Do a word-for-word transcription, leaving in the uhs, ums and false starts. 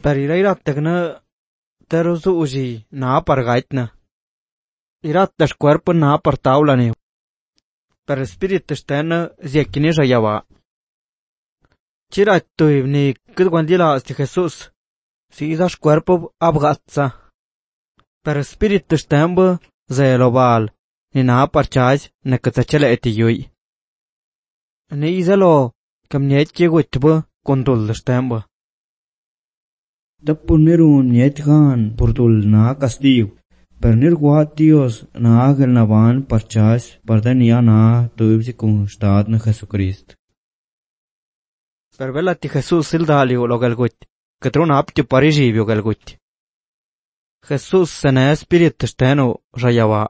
Per irairattagna teruzu uji na pargaitna. Irattash cuerpo na partaulane. Per spirit stena ziekini rayava. Chirattuiv ni kudwandila sti Jesús. Si idash cuerpo abgatza. Per spirit stemba zeloval. Ni na parchaj na katsachele etiyui. Ni izalo kamnyet yegutba kondul stemba. Tapuneru nietgan purdul na castigo. Per nirguat Dios na agel na van parchas pardania na tuibsi constad na Jesucristo. Per velati Jesús sildaliu lo galgut, que trona apti parijivio galgut. Jesús sene spirit steno rayava.